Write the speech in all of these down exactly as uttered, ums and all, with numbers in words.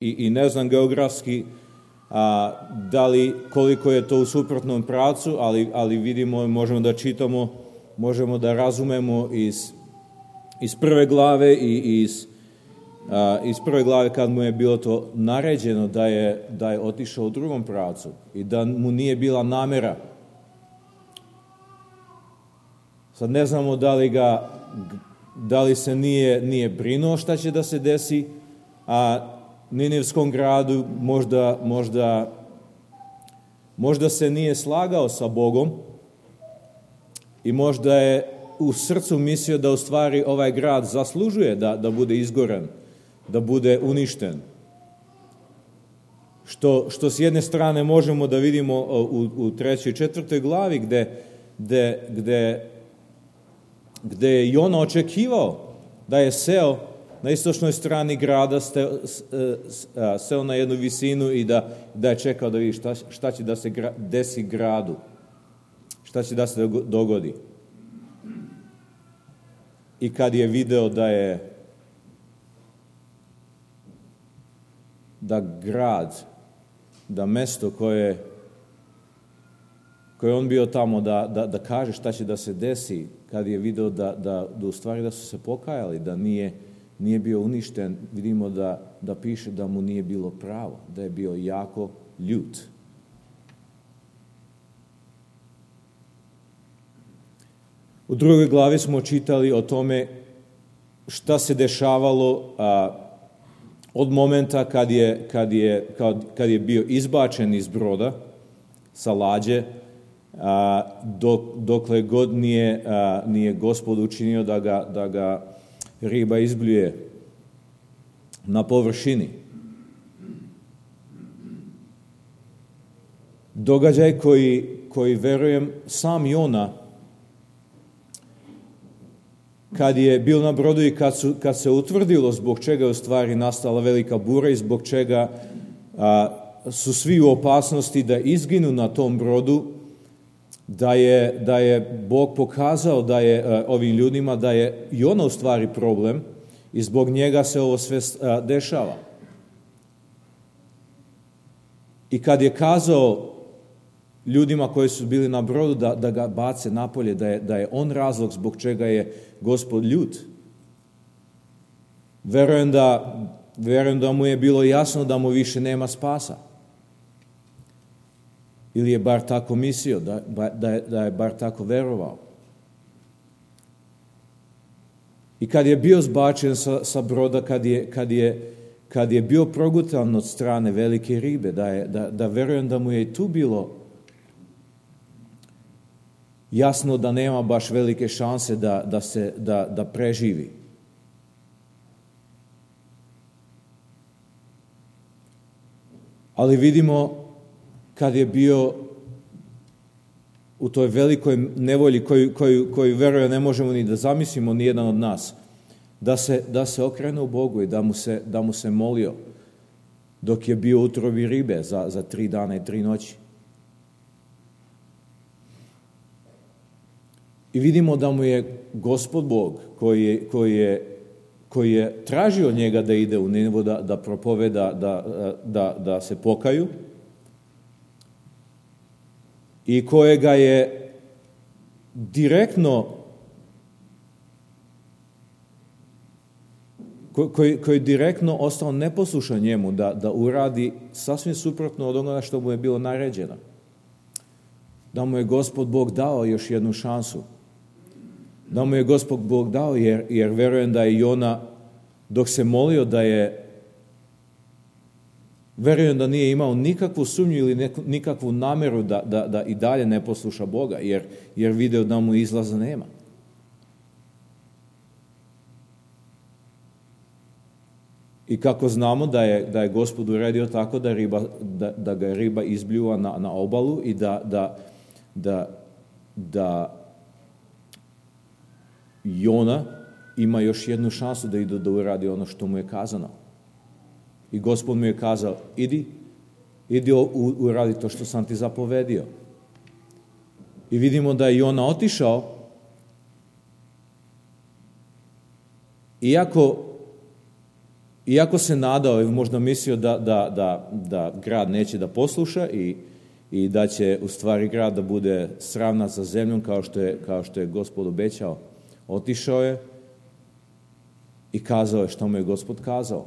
i, i ne znam geografski a, da li, koliko je to u suprotnom pravcu, ali, ali vidimo, možemo da čitamo, možemo da razumemo iz, iz prve glave i iz, a, iz prve glave kad mu je bilo to naređeno da je, da je otišao u drugom pravcu i da mu nije bila namera. Sad ne znamo da li ga, da li se nije, nije brinuo šta će da se desi, a Ninivskom gradu možda, možda, možda se nije slagao sa Bogom i možda je u srcu mislio da u stvari ovaj grad zaslužuje da, da bude izgoren, da bude uništen. Što, što s jedne strane možemo da vidimo u, u trećoj i četvrtoj glavi gde, gde, gde, gde je Jona očekivao da je seo na istočnoj strani grada, steo, seo na jednu visinu i da, da je čekao da vidi šta, šta će da se gra, desi gradu, šta će da se dogodi. I kad je video da je da grad, da mesto koje koje on bio tamo da, da, da kaže šta će da se desi, kad je video da, da, da u stvari da su se pokajali, da nije nije bio uništen, vidimo da, da piše da mu nije bilo pravo, da je bio jako ljut. U drugoj glavi smo čitali o tome šta se dešavalo a, od momenta kad je, kad, je, kad, kad je bio izbačen iz broda sa lađe, a, dok, dokle god nije, a, nije Gospod učinio da ga, da ga riba izbljuje na površini. Događaj koji, koji verujem sam Jona, kad je bio na brodu i kad, su, kad se utvrdilo zbog čega je u stvari nastala velika bura i zbog čega a, su svi u opasnosti da izginu na tom brodu, da je, da je Bog pokazao da je a, ovim ljudima da je Jona u stvari problem i zbog njega se ovo sve a, dešava. I kad je kazao ljudima koji su bili na brodu da, da ga bace napolje, da je, da je on razlog zbog čega je Gospod ljut, verujem da, verujem da mu je bilo jasno da mu više nema spasa. Ili je bar tako mislio, da, da, je, da je bar tako verovao. I kad je bio zbačen sa, sa broda, kad je, kad, je, kad je bio progutan od strane velike ribe, da, je, da, da verujem da mu je i tu bilo jasno da nema baš velike šanse da, da, se, da, da preživi. Ali vidimo kad je bio u toj velikoj nevolji koju, koju, koju verujem ne možemo ni da zamislimo ni jedan od nas, da se, da se okrene u Bogu i da mu se, da mu se molio dok je bio u utrobi ribe za, za tri dana i tri noći. I vidimo da mu je Gospod Bog koji je, koji je, koji je tražio od njega da ide u Ninivu, da, da propoveda, da, da, da se pokaju, i kojega je direktno koji, koji direktno ostao neposlušan njemu da, da uradi sasvim suprotno od onoga što mu je bilo naređeno. Da mu je Gospod Bog dao još jednu šansu. Da mu je Gospod Bog dao, jer, jer verujem da je Jona, dok se molio, da je, verujem da nije imao nikakvu sumnju ili neku, nikakvu nameru da, da, da i dalje ne posluša Boga, jer, jer video da mu izlaza nema. I kako znamo da je, da je Gospod uredio tako da, riba, da, da ga riba izbljuva na, na obalu i da, da, da, da Jona ima još jednu šansu da ide da uradi ono što mu je kazano. I Gospod mu je kazao, idi, idi uradi to što sam ti zapovedio. I vidimo da je Jona otišao, iako iako se nadao i možda mislio da, da, da, da grad neće da posluša i, i da će u stvari grad da bude sravnat sa zemljom kao što je, kao što je Gospod obećao, otišao je i kazao je što mu je Gospod kazao.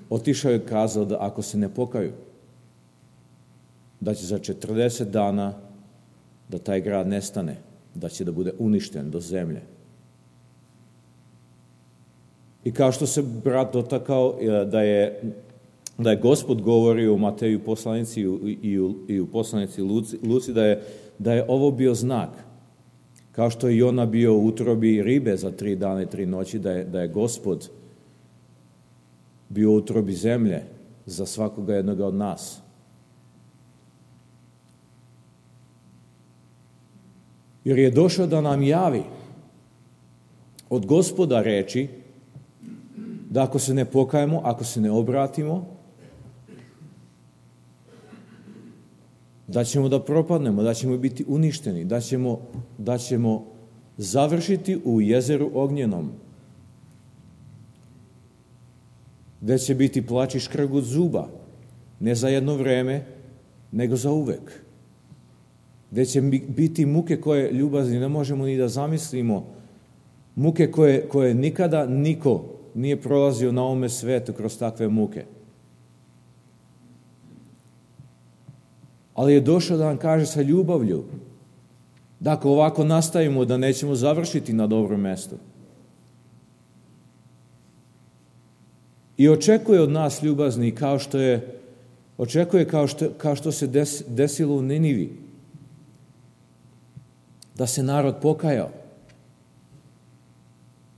Otišao je i kazao da ako se ne pokaju, da će za četrdeset dana da taj grad nestane, da će da bude uništen do zemlje. I kao što se brat dotakao da je, da je Gospod govorio u Mateju poslanici i u, i u, i u poslanici Luci, Luci da, je, da je ovo bio znak. Kao što je Jona bio u utrobi ribe za tri dana i tri noći, da je, da je Gospod bio u utrobi zemlje za svakoga jednoga od nas. Jer je došao da nam javi od Gospoda reči da ako se ne pokajemo, ako se ne obratimo, da ćemo da propadnemo, da ćemo biti uništeni, da ćemo, da ćemo završiti u jezeru ognjenom, gde će biti plač i škrgut zuba, ne za jedno vreme, nego za uvek. Gde će biti muke koje, ljubazni, ne možemo ni da zamislimo, muke koje, koje nikada niko nije prolazio na ovome svetu kroz takve muke. Ali je došao da nam kaže sa ljubavlju da ako ovako nastavimo da nećemo završiti na dobrom mestu. I očekuje od nas, ljubazni, kao što je očekuje kao što, kao što se des, desilo u Ninivi, da se narod pokajao.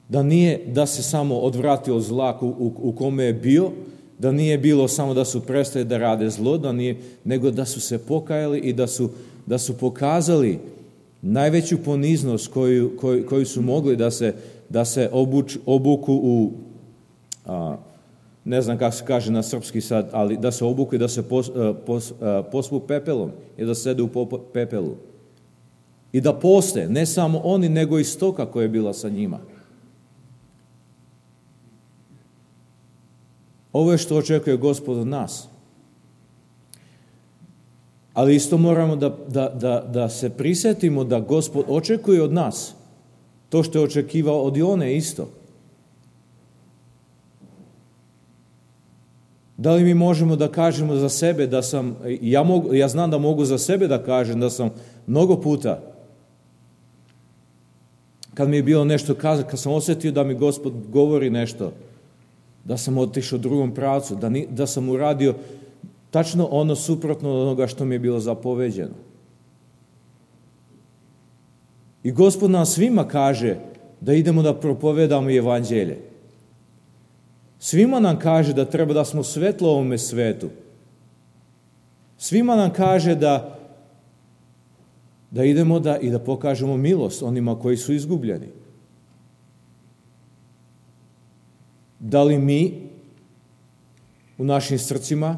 Da nije da se samo odvratio od zla u, u, u kome je bio, da nije bilo samo da su prestali da rade zlo, da nije, nego da su se pokajali i da su, da su pokazali najveću poniznost koju, koju, koju su mogli da se, da se obuč, obuku u, a, ne znam kako se kaže na srpski sad, ali da se obuku i da se pos, pos, pospu pepelom i da sede u pepelu. I da poste, ne samo oni, nego i stoka koja je bila sa njima. Ovo je što očekuje Gospod od nas. Ali isto moramo da, da, da, da se prisetimo da Gospod očekuje od nas to što je očekivao od Jone isto. Da li mi možemo da kažemo za sebe da sam, ja, mogu, ja znam da mogu za sebe da kažem da sam mnogo puta, kad mi je bilo nešto kazati, kad sam osjetio da mi Gospod govori nešto, da sam otišao u drugom pravcu, da, ni, da sam uradio tačno ono suprotno od onoga što mi je bilo zapoveđeno. I Gospod nam svima kaže da idemo da propovedamo evanđelje. Svima nam kaže da treba da smo svetlo ovome svetu. Svima nam kaže da, da idemo da, i da pokažemo milost onima koji su izgubljeni. Da li mi u našim srcima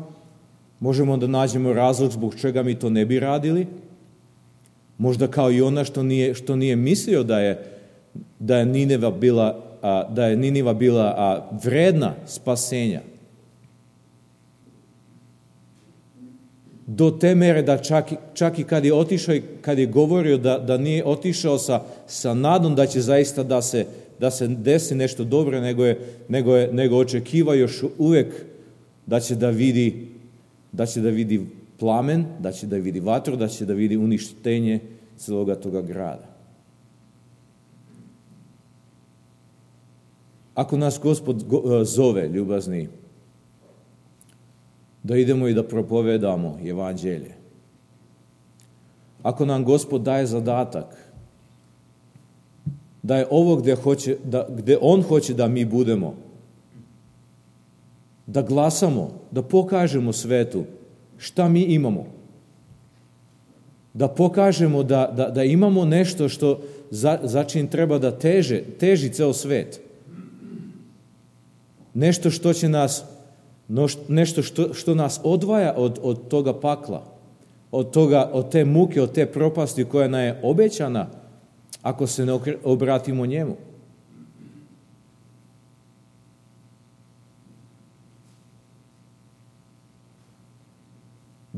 možemo da nađemo razlog zbog čega mi to ne bi radili? Možda kao i ona što nije, što nije mislio da je, da je Nineva bila, a, da je Niniva bila a, vredna spasenja. Do te mere da čak, čak i kad je otišao i kad je govorio da, da nije otišao sa, sa nadom da će zaista da se da se desi nešto dobro, nego je, nego je, nego očekiva još uvek da će da vidi, da će da vidi plamen, da će da vidi vatru, da će da vidi uništenje celoga toga grada. Ako nas Gospod zove, ljubazni, da idemo i da propovedamo evanđelje, ako nam Gospod daje zadatak da je ovo gde, hoće, da, gde On hoće da mi budemo, da glasamo, da pokažemo svetu šta mi imamo, da pokažemo da, da, da imamo nešto što za, za čim treba da teže, teži ceo svet, nešto što će nas, nešto što, što nas odvaja od, od toga pakla, od, toga, od te muke, od te propasti koja nam je obećana ako se ne obratimo njemu.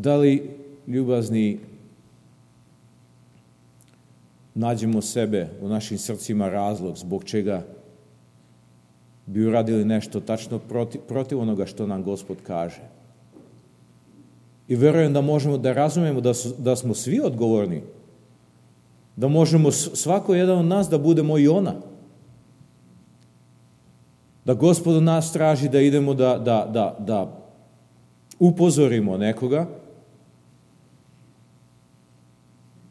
Da li, ljubazni, nađemo sebe u našim srcima razlog zbog čega bi uradili nešto tačno protiv, protiv onoga što nam Gospod kaže? I verujem da možemo da razumemo da, su, da smo svi odgovorni, da možemo svako jedan od nas da budemo i ona. Da Gospod od nas traži da idemo da, da, da, da upozorimo nekoga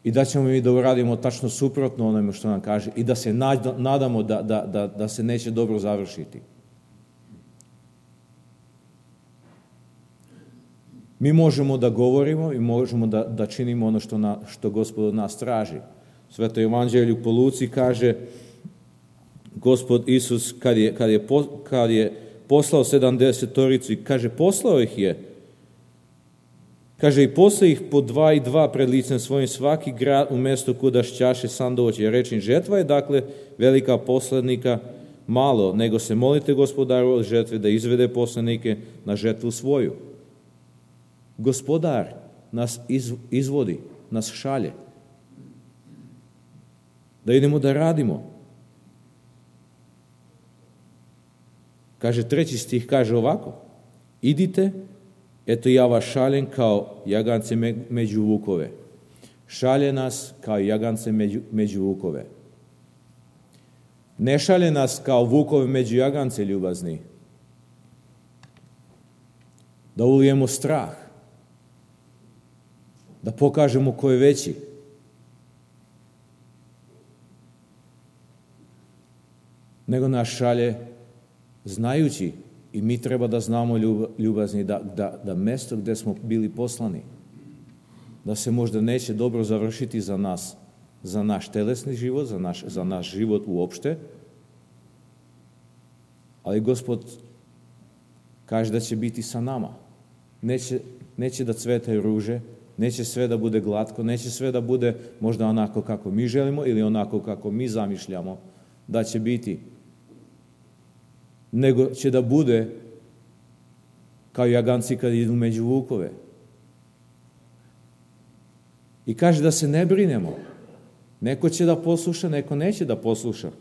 i da ćemo mi da uradimo tačno suprotno onome što nam kaže i da se nadamo da, da, da, da se neće dobro završiti. Mi možemo da govorimo i možemo da, da činimo ono što, na, što Gospod od nas traži. Sveto evanđelju po Luci kaže Gospod Isus kad je, kad je, kad je poslao sedamdesetoricu i kaže poslao ih je. Kaže i posle ih po dva i dva pred licem svojim svaki grad u mesto kuda šćaše sam doći. Jer rečim, žetva je dakle velika, poslednika malo, nego se molite Gospodaru od žetve da izvede poslenike na žetvu svoju. Gospodar nas iz, izvodi, nas šalje. Da idemo da radimo. Kaže treći stih, kaže ovako. Idite, eto ja vas šaljem kao jagance među vukove. Šalje nas kao jagance među, među vukove. Ne šalje nas kao vukove među jagance, ljubazni. Da ulijemo strah. Da pokažemo ko je veći. Nego nas šalje znajući, i mi treba da znamo, ljubazni, da, da, da mesto gde smo bili poslani, da se možda neće dobro završiti za nas, za naš telesni život, za naš, za naš život uopšte, ali Gospod kaže da će biti sa nama. Neće, neće da cvetaju ruže, neće sve da bude glatko, neće sve da bude možda onako kako mi želimo ili onako kako mi zamišljamo da će biti, nego će da bude kao jaganci kad idu među vukove. I kaže da se ne brinemo. Neko će da posluša, neko neće da posluša.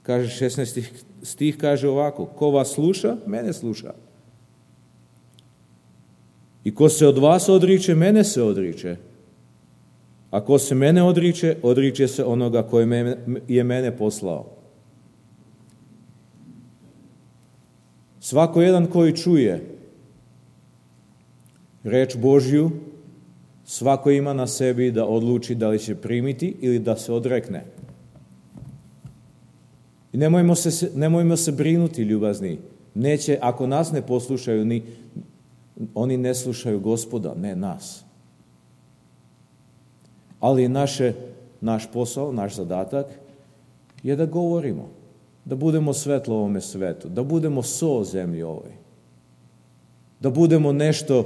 Kaže šesnaesti stih, kaže ovako, ko vas sluša, mene sluša. I ko se od vas odriče, mene se odriče. A ko se mene odriče, odriče se onoga koji je mene poslao. Svako jedan koji čuje reč Božju, svako ima na sebi da odluči da li će primiti ili da se odrekne. I nemojmo se, nemojmo se brinuti, ljubazni. Neće, ako nas ne poslušaju, ni, oni ne slušaju Gospoda, ne nas. Ali naše, naš posao, naš zadatak je da govorimo. Da budemo svetlo ovome svetu, da budemo so zemlji ovoj, da budemo nešto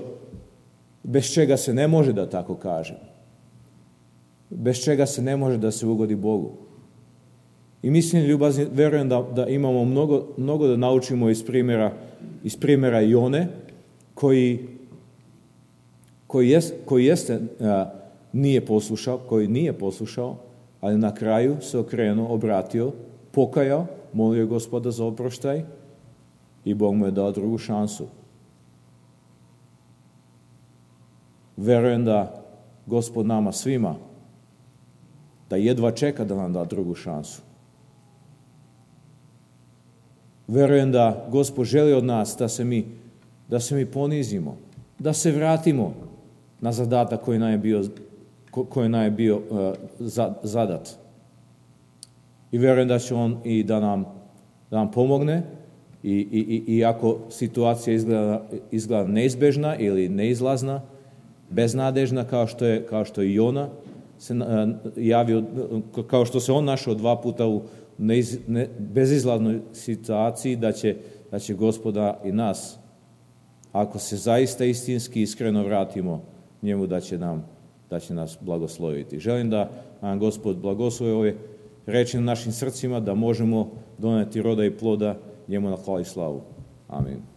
bez čega se ne može, da tako kažem, bez čega se ne može da se ugodi Bogu. I mislim, ljubazni, verujem da, da imamo mnogo, mnogo da naučimo iz primjera, iz primjera Jone, koji, koji, jest, koji jeste a, nije poslušao, koji nije poslušao, ali na kraju se okrenuo, obratio, pokajao, molio Gospoda za oproštaj i Bog mu je dao drugu šansu. Verujem da Gospod nama svima, da jedva čeka da nam da drugu šansu. Verujem da Gospod želi od nas da se mi, da se mi ponizimo, da se vratimo na zadatak koji nam je bio, koji nam je bio uh, zadat. I verujem da će on i da nam, da nam pomogne i, i, i ako situacija izgleda, izgleda neizbežna ili neizlazna, beznadežna kao što je, kao što je Jona se javio, kao što se on našao dva puta u neiz, ne, bezizlaznoj situaciji, da će, da će Gospoda i nas, ako se zaista istinski iskreno vratimo njemu, da će, nam, da će nas blagosloviti. Želim da nam Gospod blagoslovi ove reči na našim srcima, da možemo doneti roda i ploda njemu na hvala i slavu. Amin.